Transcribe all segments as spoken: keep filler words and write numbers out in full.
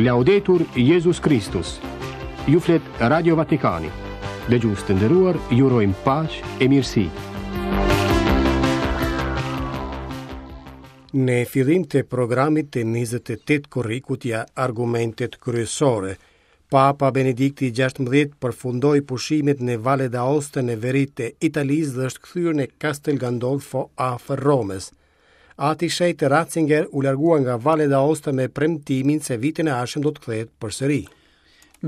Laudetur Jezus Kristus. Ju flet Radio Vatikani. Dëgjues të nderuar, ju urojmë paqe e mirësi. Në fillim të programit të njëzet e tetë korrikut ja argumentet kryesore. Papa Benedikti gjashtëmbëdhjetë përfundoi pushimet në Valle d'Aosta në veri të Italisë dhe është kthyer në Castel Gandolfo afër Romës. Ati Shenjt Ratzinger u largua nga Valle d'Aosta me premtimin se vitin e ardhshëm do të kthehet përsëri.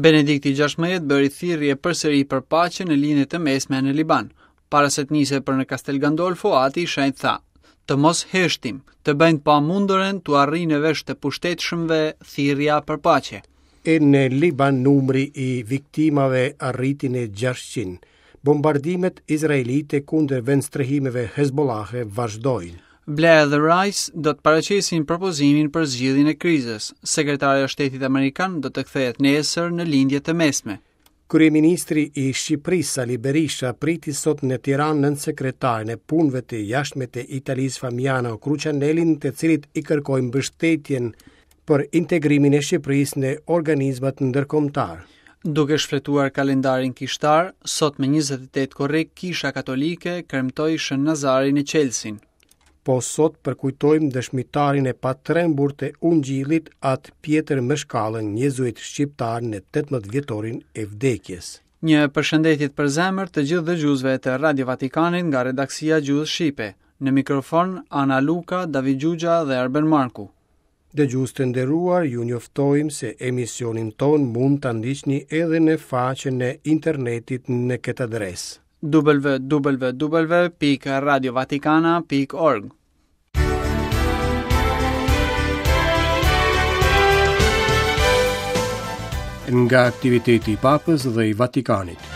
Benedikti gjashtëmbëdhjetë bëri thirrje përsëri për paqe në Lindje të Mesme në Liban. Para se të nisej për në Castel Gandolfo, Ati i Shenjt tha: Të mos heshtim, të bëjnë pa mundurën t'u arrijnë në vesh të pushtetshmëve thirrja për paqe. E në Liban numri i viktimave arriti në gjashtëqind. Bombardimet izraelite kundër vendstrehimeve Hezbollahe vazhdojnë. Blair dhe Rice do të paraqesin propozimin për zgjidhjen e krizës. Sekretarja e Shtetit Amerikan do të kthehet nesër në Lindje të Mesme. Kryeministri i Shqipërisë Sali Berisha priti sot në Tiranë nën sekretarin e punëve të jashtme të Italisë Famiano Crucianellin, të cilit i kërkoi mbështetjen për integrimin e Shqipërisë në organizmat ndërkombëtar. Duke shfletuar kalendarin kishtar, sot me njëzet e tetë korrik Kisha Katolike kremtoi Shën Nazarin e Çelësin. Po sot përkujtojmë dëshmitarin e patrembur të Ungjillit, atë Pjetër Mëshkallën, jezuit shqiptar në tetëmbëdhjetë vjetorin e vdekjes. Një përshëndetje të përzemër të gjithë dëgjuesve të Radio Vatikanit nga redaksia Gjuhës Shqipe. Në mikrofon Ana Luka, David Gjugja dhe Arben Marku. Dëgjues të nderuar, ju njoftojmë se emisionin ton mund ta ndiqni edhe në faqen e internetit në këtë adresë: w w w pikë radio vatikana pikë org. Nga aktiviteti i Papës dhe i Vatikanit.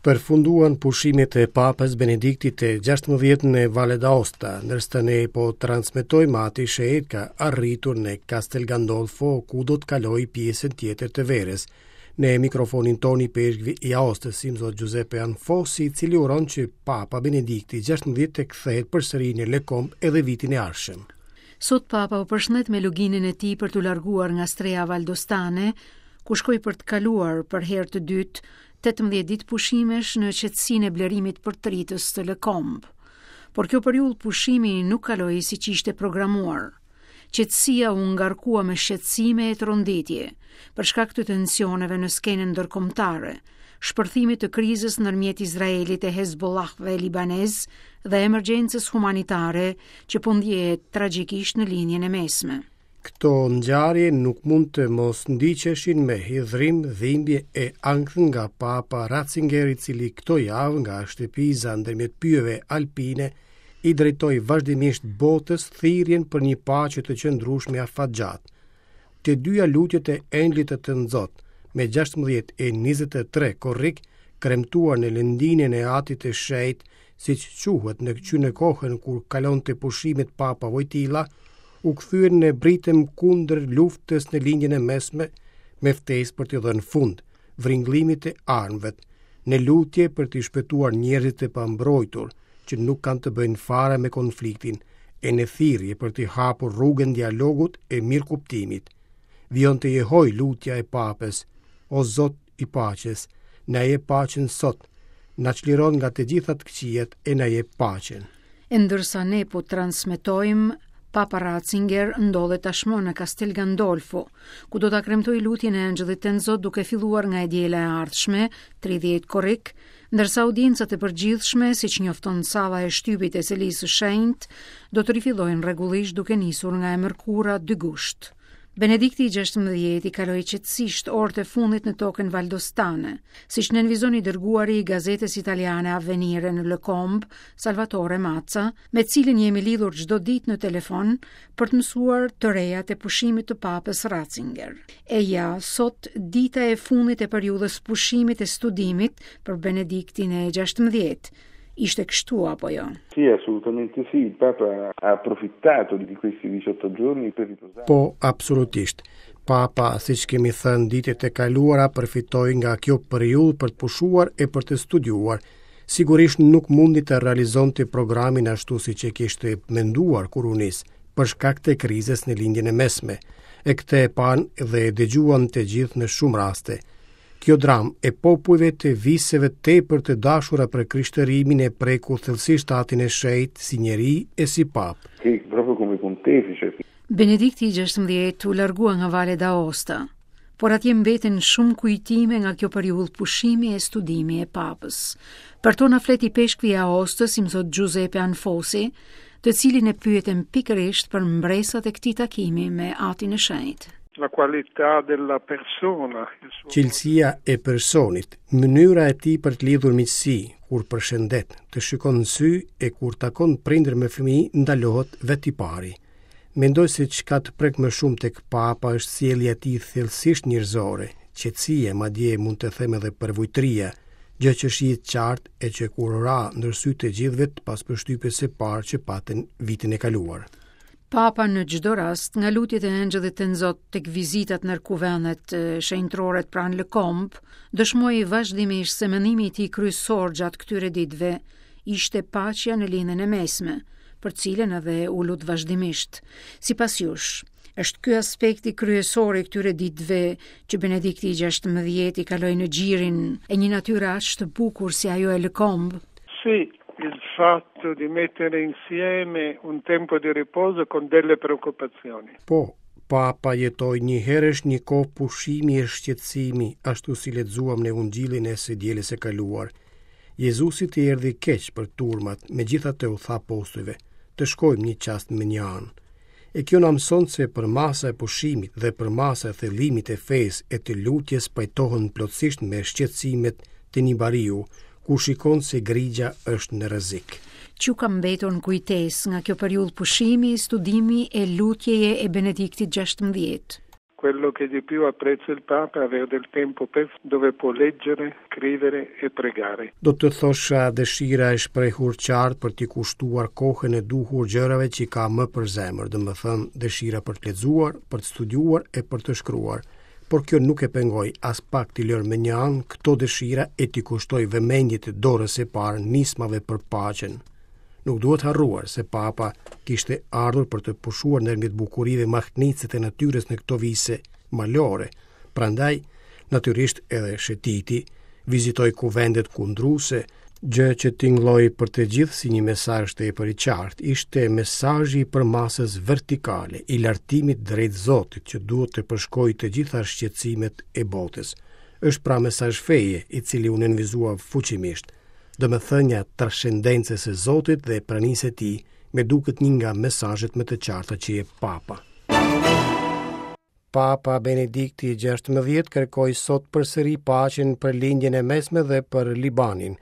Përfunduan pushimet e Papës Benediktit të gjashtëmbëdhjetë në Valle d'Aosta, ndërsa ne po transmetojmë Ati Shenjt ka arritur në Castel Gandolfo, ku do të kalojë pjesën tjetër të verës. Në mikrofonin tonë i peshkvi i Aostës, Imzot Giuseppe Anfossi, i cili uron që Papa Benedikti gjashtëmbëdhjetë të kthehet përsëri në Lekomb edhe vitin e ardhshëm. Sot Papa u përshëndet me luginën e tij për t'u larguar nga streha valdostane, ku shkoi për të kaluar për herë të dytë tetëmbëdhjetë ditë pushimesh në qetësinë e blerimit për tritës të Lekomb. Por kjo periudhë pushimi nuk kaloi siç ishte programuar. Qetësia u ngarkua me shqetësime e tronditje, për shkak të tensioneve në skenën ndërkombëtare, shpërthimit të krizës ndërmjet Izraelit e Hezbollahëve libanez dhe emergjencës humanitare që po ndjehet tragjikisht në Lindjen e Mesme. Këto ngjarje nuk mund të mos ndiqeshin me hidhrim, dhimbje e ankth nga Papa Ratzinger, i cili këto javë nga shtëpiza ndërmjet pyjeve alpine i drejtoi vazhdimisht botës thirrjen për një paqe të qëndrueshme afatgjatë. Të dyja lutjet e Engjëllit të Tënzot, me gjashtëmbëdhjetë e njëzet e tre korrik, kremtuar në lëndinën e Atit të Shenjtë, siç quhet në që në kohën kur kalonte pushimet Papa Wojtyla, u kthyen në britëm kundër luftës në Lindjen e Mesme, me ftesë për t'i dhënë fund vringlimit të armëve, në lutje për t'i shpëtuar njerëzit e pambrojtur, që nuk kanë të bëjnë fare me konfliktin, e në thirrje për t'i hapur rrugën dialogut e mirëkuptimit. Vijon të jehoj lutja e Papës: O Zot i paqes, na jep paqen sot, na çliron nga të gjitha të këqijat e na jep paqen. E ndërsa ne po transmetojmë, Papa Ratzinger ndodhet tashmë në Castel Gandolfo, ku do ta kremtojë lutjen e Engjëllit të Zot duke filluar nga e diela e ardhshme, tridhjetë korrik, ndërsa audiencat e përgjithshme, siç njofton salla e shtypit e Selisë së Shenjtë, do të rifillojnë rregullisht duke nisur nga e mërkura dy gusht. Benedikti i gjashtëmbëdhjetë i kaloi qetësisht orët e fundit në tokën valdostane, siç nënvizon i dërguari i gazetës italiane Avvenire në Lekomb, Salvatore Mazza, me cilin jemi lidhur çdo ditë në telefon për të mësuar të rejat e pushimit të Papës Ratzinger. E ja, sot dita e fundit e periudhës pushimit e studimit për Benediktin e gjashtëmbëdhjetë. Ishte kështu apo jo? Sì, assolutamente sì. Il Papa ha approfittato di questi diciotto giorni per riposare. Po, absolutisht. Papa, siç kemi thënë ditët e kaluara, përfitoi nga kjo periudhë për të pushuar e për të studiuar. Sigurisht nuk mundi të realizonte programin ashtu siç e kishte menduar kur u nis, për shkak të krizës në Lindjen e Mesme. E këtë e panë dhe e dëgjuan të gjithë në shumë raste. Kjo dramë e popujve të viseve tepër të dashura për krishtërimin e preku thellësisht Atin e Shenjtë si njeri e si papë. Che proprio come pontefice. Benedikti i gjashtëmbëdhjetë u largua nga Valle d'Aosta, por atje mbeten shumë kujtime nga kjo periudhë pushimi e studimi e papës. Për to na flet ipeshkvi i Aostës, imzot Giuseppe Anfosi, të cilin e pyetëm pikërisht për mbresat e këtij takimi me Atin e Shenjtë. La qualità della persona, il suo Cilësia e personit, mënyra e tij për të lidhur miqësi, kur përshëndet, të shikon në sy e kur takon prindër me fëmijë, ndalohet vetë i pari. Mendoj se çka të prek më shumë tek Papa është sjellja e tij thellësisht njerëzore, qetësia, madje mund të them edhe përvujtria, gjë që shihet qartë e që kur ra ndër sy të gjithëve pas përshtypjes së parë që patën vitin e kaluar. Papa në çdo rast, nga lutjet e Engjëllit të Nzot tek vizitat në kuvendet shenjtërore pranë Lëkomb, dëshmoi vazhdimisht se mendimi i tij kryesor gjatë këtyre ditëve ishte paqja në Lindjen e Mesme, për cilën edhe u lut vazhdimisht. Sipas jush, është ky aspekti kryesor i këtyre ditëve që Benedikti i gjashtëmbëdhjetë i kaloi në gjirin e një natyre aq të bukur si ajo e Lëkomb? Sì, il fatto di mettere insieme un tempo di riposo con delle preoccupazioni. Po, Papa jetoi një herësh një kohë pushimi e shqetësimi, ashtu si lexuam në Ungjillin e së dielës së kaluar. Jezusit i erdhi keq për turmat, megjithatë u tha apostujve, të shkojmë një çast më një anë. E kjo na mëson se përmasa e pushimit dhe përmasa e thellimit e fesë e të lutjes pajtohen plotësisht me shqetësimet të një bariu, ku shikon se grigja është në rrezik. Çu ka mbetur në kujtesë nga kjo periudhë pushimi, studimi e lutjeje e Benediktit gjashtëmbëdhjetë? Quello che di più apprezza il Papa è avere del tempo per dove può leggere, scrivere e pregare. Do të thosha dëshira e shprehur qartë për t'i kushtuar kohën e duhur gjërave që ka më për zemër, domethënë dëshira për të lexuar, për të studiuar e për të shkruar. Por kjo nuk e pengoi as pak t'i lërë më një anë këto dëshira e t'i kushtoj vëmendje të dorës së parë nismave për paqen. Nuk duhet harruar se Papa kishte ardhur për të pushuar ndërmjet bukurive mahnitëse të natyrës në këto vise malore. Prandaj, natyrisht edhe shëtiti, vizitoi kuvendet kundruse, gjë që tingëlloi për të gjithë si një mesazh tepër i qartë, ishte mesazhi i përmasës vertikale, i lartimit drejt Zotit që duhet të përshkojë të gjitha shqetësimet e botës. Është pra mesazh feje, i cili u nënvizua fuqimisht. Domethënia transcendencës së Zotit dhe pranisë së tij, me duket një nga mesazhet më të qarta që jep Papa. Papa Benedikti i gjashtëmbëdhjetë kërkoi sot përsëri paqen për Lindjen e Mesme dhe për Libanin.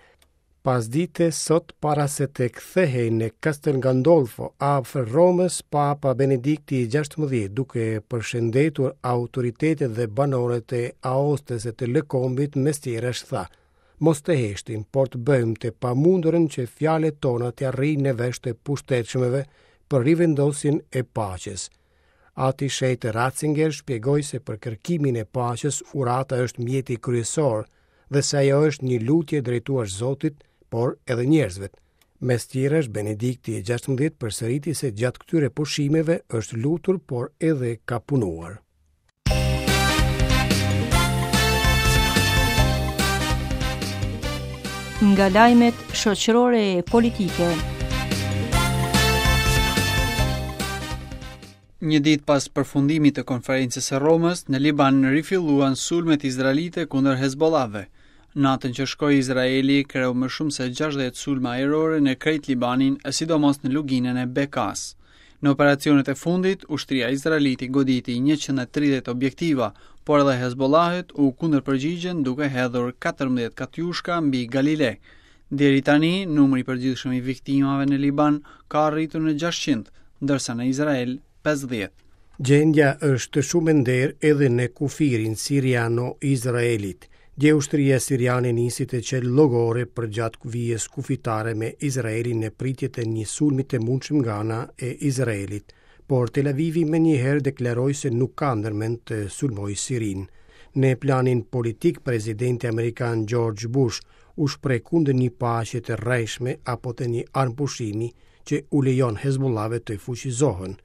Pas dite sot para se të kthehej në Castel Gandolfo afër Romës, Papa Benedikti i gjashtëmbëdhjetë, duke përshëndetur autoritetet dhe banorët e Aostës e të Lëkombit, mes tjerash tha: Mos të heshtim, por të bëjmë të pamundurën që fjalët tona të arrijnë në vesh të pushtetshmëve për rivendosjen e paqes. Ati Shenjt Ratzinger shpjegoi se për kërkimin e paqes urata është mjeti kryesor dhe se ajo është një lutje drejtuar Zotit, por edhe njerëzve. Mes tjerash, Benedikti i gjashtëmbëdhjetë përsëriti se gjatë këtyre pushimeve është lutur, por edhe ka punuar. Nga lajmet shoqërore e politike. Një ditë pas përfundimit të konferencës së Romës, në Liban rifilluan sulmet izraelite kundër Hezbollahëve. Natën që shkoi Izraeli kreu më shumë se gjashtëdhjetë sulme ajrore në krejt Libanin, e sidomos në luginën e Bekas. Në operacionet e fundit, ushtria izraelite goditi njëqind e tridhjetë objektiva, por edhe Hezbollahët u kundërpërgjigjën duke hedhur katërmbëdhjetë katjushka mbi Galile. Deri tani, numri i përgjithshëm i viktimave në Liban ka arritur në gjashtëqind, ndërsa në Izrael pesëdhjetë. Gjendja është shumë e nderë edhe në kufirin siriano-izraelit. Dje ushtria siriane nisi të qelë llogore përgjatë vijës kufitare me Izraelin në pritje të një sulmi të mundshëm nga ana e Izraelit, por Tel Avivi menjëherë deklaroi se nuk ka ndërmend të sulmojë Sirinë. Në planin politik, presidenti amerikan George Bush u shpreh kundër një paqe të rrejshme apo të një armëpushimi që u lejon Hezbollahëve të fuqizohen.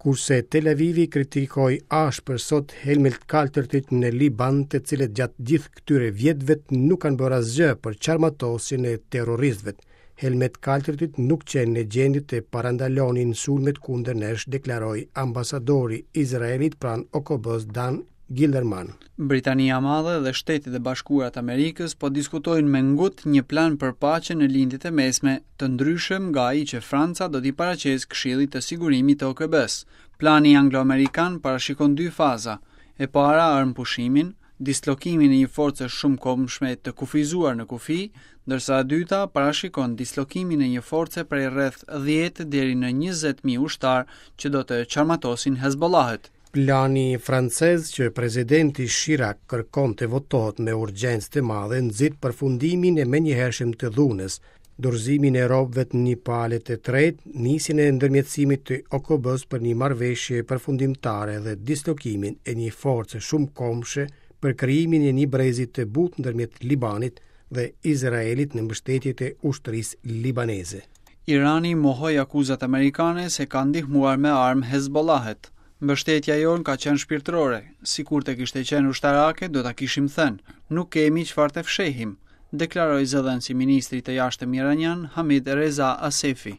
Kurse Tel Avivi kritikoi ashpër sot helmet kaltërtit në Liban, të cilët gjatë gjithë këtyre vjetëve nuk kanë bërë asgjë për çarmatosjen e terroristëve. Helmet kaltërtit nuk qenë në gjendje të parandalonin sulmet kundër nesh, deklaroi ambasadori izraelit pranë O K B-s Dan Gillerman. Britania e Madhe dhe Shtetet e Bashkuara të Amerikës po diskutojnë me ngut një plan për paqe në Lindje të Mesme, të ndryshëm nga ai që Franca do t'i paraqesë Këshillit të Sigurimit të O K B-s. Plani anglo-amerikan parashikon dy faza. E para, armëpushimin, dislokimin e një force shumëkombëshme të kufizuar në kufi, ndërsa e dyta parashikon dislokimin e një force prej rreth dhjetë deri në njëzet mijë ushtar që do të çarmatosin Hezbollahët. Plani francez që presidenti Chirac kërkon të votohet me urgjencë të madhe nxit përfundimin e menjëhershëm të dhunës, dorëzimin e robëve të një pale të tretë, nisjen e ndërmjetësimit të O K B-s për një marrëveshje përfundimtare dhe dislokimin e një force shumëkombëshe për krijimin e një brezi të butë ndërmjet Libanit dhe Izraelit në mbështetje të ushtrisë libaneze. Irani mohoi akuzat amerikane se ka ndihmuar me armë Hezbollahët. Mbështetja jonë ka qenë shpirtërore, sikur të kishte qenë ushtarake do ta kishim thënë, nuk kemi çfarë të fshehim, deklaroi zëdhënësi ministrit të jashtëm iranian Hamid Reza Asefi.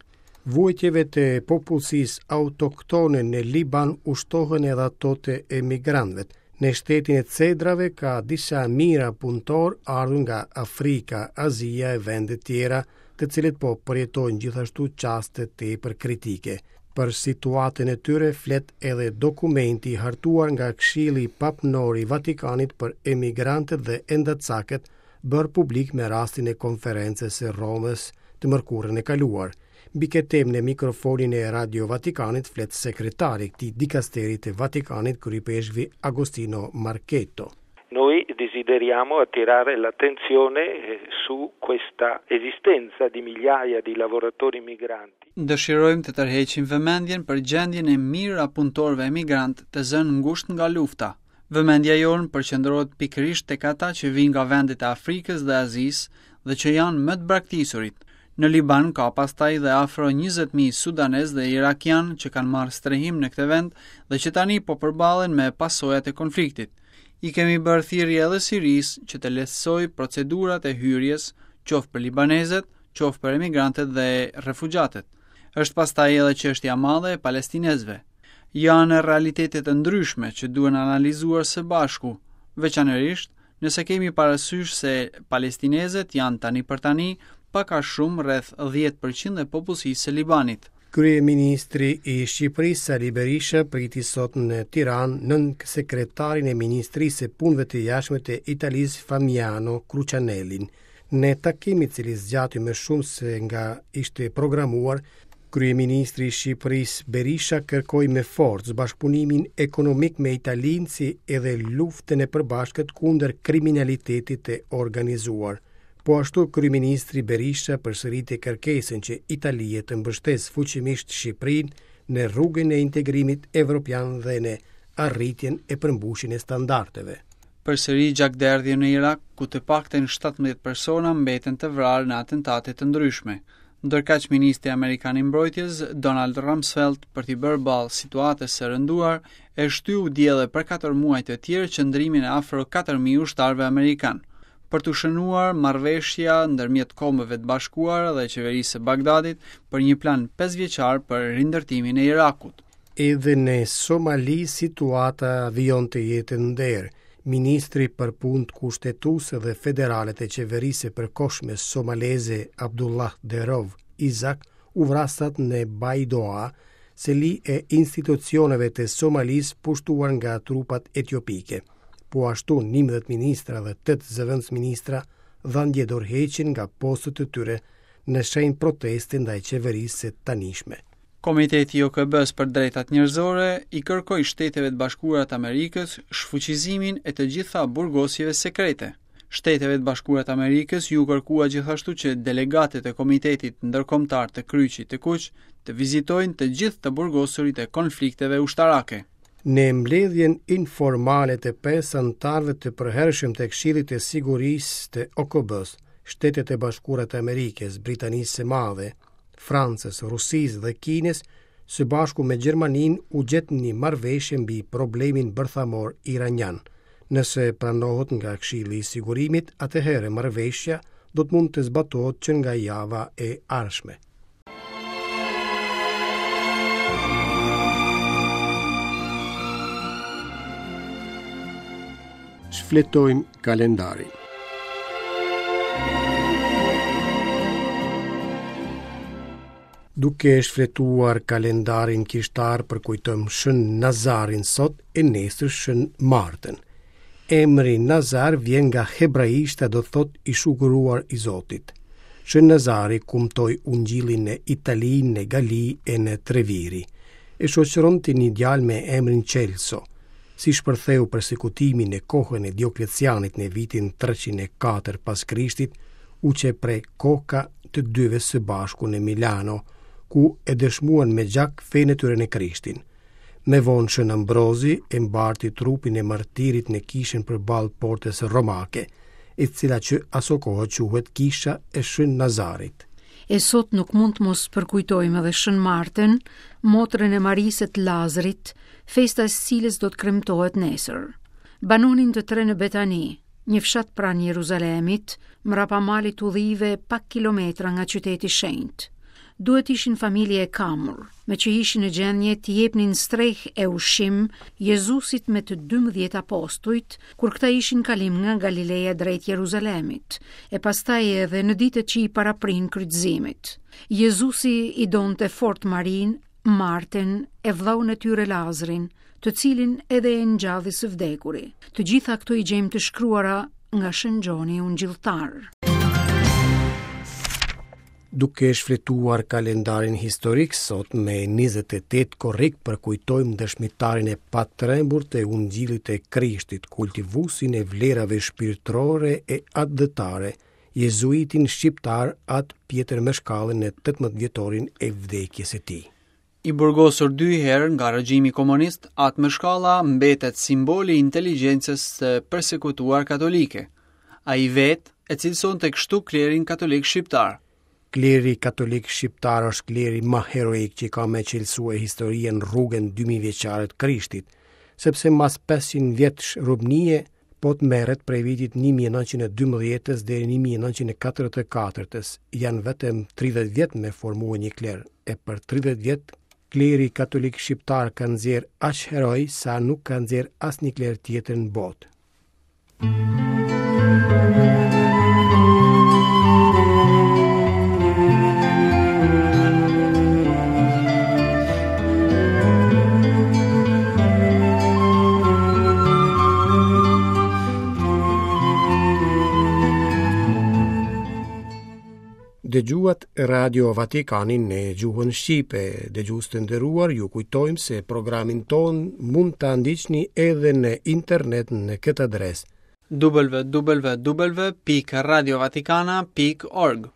Vuajtjeve të popullsisë autoktone në Liban ushtohen edhe ato të emigrantëve. Në shtetin e Cedrave ka disa mijëra punëtor ardhur nga Afrika, Azia e vende tjera, të cilët po përjetojnë gjithashtu çaste tepër kritike. Për situatën e tyre flet edhe dokumenti i hartuar nga Këshilli Papnor i Vatikanit për emigrantët dhe endacakët, bërë publik me rastin e konferencës së Romës të mërkurën e kaluar. Mbi këtë temë në mikrofonin e Radio Vatikanit flet sekretari i këtij dikasteri të Vatikanit, kryepeshkvi Agostino Marchetto. Noi desideriamo attirare l'attenzione su questa esistenza di migliaia di lavoratori migranti. Dëshirojmë të tërheqim vëmendjen për gjendjen e mijëra punëtorëve emigrant të zënë ngushtë nga lufta. Vëmendja jonë përqendrohet pikërisht tek ata që vijnë nga vendet e Afrikës dhe Azisë dhe që janë më të braktisurit. Në Liban ka pastaj dhe afro njëzet mijë sudanez dhe irakian që kanë marrë strehim në këtë vend dhe që tani po përballen me pasojat e konfliktit. I kemi bërë thirrje edhe Sirisë që të lehtësojë procedurat e hyrjes, qoftë për libanezët, qoftë për emigrantët dhe refugjatët. Është pastaj edhe çështja e madhe e palestinezëve. Janë realitete të ndryshme që duhen analizuar së bashku, veçanërisht nëse kemi parasysh se palestinezët janë tani për tani pak a shumë rreth dhjetë përqind e popullsisë së Libanit. Kryeministri i Shqipërisë Sali Berisha priti sot në Tiranë nën sekretarin e Ministrisë së Punëve të Jashtme të Italisë Famiano Crucianellin. Në takim i cili zgjati më shumë se nga ishte programuar, Kryeministri i Shqipërisë Berisha kërkoi me forcë bashkëpunimin ekonomik me Italinë si edhe luftën e përbashkët kundër kriminalitetit të organizuar. Po ashtu, Kryeministri Berisha përsëriti kërkesën që Italia të mbështesë fuqimisht Shqipërinë në rrugën e integrimit evropian dhe në arritjen e përmbushjen e standardeve. Përsëri gjakderdhje në Irak, ku të paktën shtatëmbëdhjetë persona mbeten të vrarë në atentate të ndryshme. Ndërkaq ministri amerikan i mbrojtjes Donald Rumsfeld për t'i bërë ballë situatës së rënduar, e shtyu dje edhe për katër muaj të tjerë qëndrimin e afro katër mijë ushtarëve amerikan. Për t'u shënuar marrëveshja ndërmjet Kombeve të Bashkuara dhe qeverisë së Bagdadit për një plan pesëvjeçar për rindërtimin e Irakut. Edhe në Somali situata vijon të jetë nderë. Ministri për punët kushtetuese dhe federale të qeverisë së përkohshme somaleze Abdullah Derov Izak u vrasat në Baidoa, seli e institucioneve të Somalisë pushtuar nga trupat etiopike. Po ashtu njëmbëdhjetë ministra dhe tetë zëvendësministra dhanë dje dorëheqjen nga postet e tyre në shenjë proteste ndaj qeverisë së tanishme. Komiteti i O K B-s për drejtat njerëzore i kërkoi Shteteve të Bashkuara të Amerikës shfuqizimin e të gjitha burgosjeve sekrete. Shteteve të Bashkuara të Amerikës ju kërkua gjithashtu që delegatët e Komitetit Ndërkombëtar të Kryqit të Kuq të vizitojnë të gjithë të burgosurit e konflikteve ushtarake. Në mbledhjen informale të pesë anëtarëve të përhershëm të Këshillit të Sigurisë të O K B-s, Shtetet e Bashkuara të Amerikës, Britanisë së Madhe, Francës, Rusisë dhe Kinës, Së bashku me Gjermaninë u gjet një marrëveshje mbi problemin bërthamor iranian. Nëse pranohet nga Këshilli i Sigurimit, atëherë marrëveshja do të mund të zbatohet që nga java e ardhshme. Shfletojmë kalendarin. Duke shfletuar kalendarin kishtar përkujtojmë Shën Nazarin sot e nesër Shën Martën. Emri Nazar vjen nga hebraishtja, do thot i shuguruar i Zotit. Shën Nazari kumtoi ungjillin në Itali, në Gali e në Treviri. E shoqëronte një djalë me emrin Celso. Si shpërtheu persekutimi në kohën e Dioklecianit në vitin treqind e katër pas Krishtit, u qe pre koka të dyve së bashku në Milano, ku e dëshmuan me gjak fenë e tyre në Krishtin. Me vonë Shën Ambrozi e mbarti trupin e martirit në kishën përballë portës romake, e cila që asokohe quhet Kisha e Shën Nazarit. E sot nuk mund të mos përkujtojmë edhe Shën Martën, motrën e Marisë të Lazrit, festa e cilës do të kremtohet nesër. Banonin të tre në Betani, një fshat pranë Jeruzalemit, mrapa malit Ullive, pak kilometra nga qyteti shenjt. Duhet ishin familje e kamur, me që ishin në gjendje të jepnin streh e ushqim Jezusit me të dymbëdhjetë apostujt, kur këta ishin kalim nga Galileja drejt Jeruzalemit, e pastaj edhe në ditët që i paraprin kryqëzimit. Jezusi i donte fort Marinë, Martën e vëllaun e tyre Lazrin, të cilin edhe e ngjalli së vdekuri. Të gjitha këto i gjejmë të shkruara nga Shën Gjoni Ungjilltar. Duke shfletuar kalendarin historik sot me njëzet e tetë korrik përkujtojmë dëshmitarin e patrembur të Ungjillit të Krishtit, kultivuesin e vlerave shpirtërore e atdhetare, jezuitin shqiptar At Pjetër Meshkallën në tetëmbëdhjetë vjetorin e vdekjes së tij. I burgosur dy herë nga regjimi komunist, At Meshkalla mbetet simboli i inteligjencës së persekutuar katolike. Ai vetë e cilësonte kështu klerin katolik shqiptar. Kleri katolik shqiptar është kleri më heroik që ka me cilësue historien rrugën dy mijë vjeçare të Krishtit, sepse mas pesëqind vjetësh rubnie po të merret prej vitit një mijë e nëntëqind e dymbëdhjetës deri një mijë e nëntëqind e katërdhjetë e katërtës, janë vetëm tridhjetë vjet me formue një kler, e për tridhjetë vjet kleri katolik shqiptar ka nxjerr aq heroj sa nuk ka nxjerr asnjë kler tjetër në botë. Dëgjuat Radio Vatikanin në gjuhën shqipe. Dëgjues të nderuar, ju kujtojmë se programin ton mund ta ndiqni edhe në internet në këtë adresë w w w pikë radio vatikana pikë org.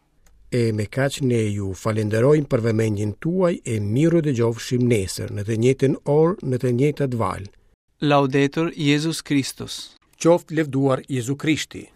E me kaq ne ju falenderojmë për vëmendjen tuaj e miru dëgjofshim nesër në të njëjtën orë, në të njëjtat valë. Laudetur Jezus Christus. Qoftë lëvduar Jezu Krishti.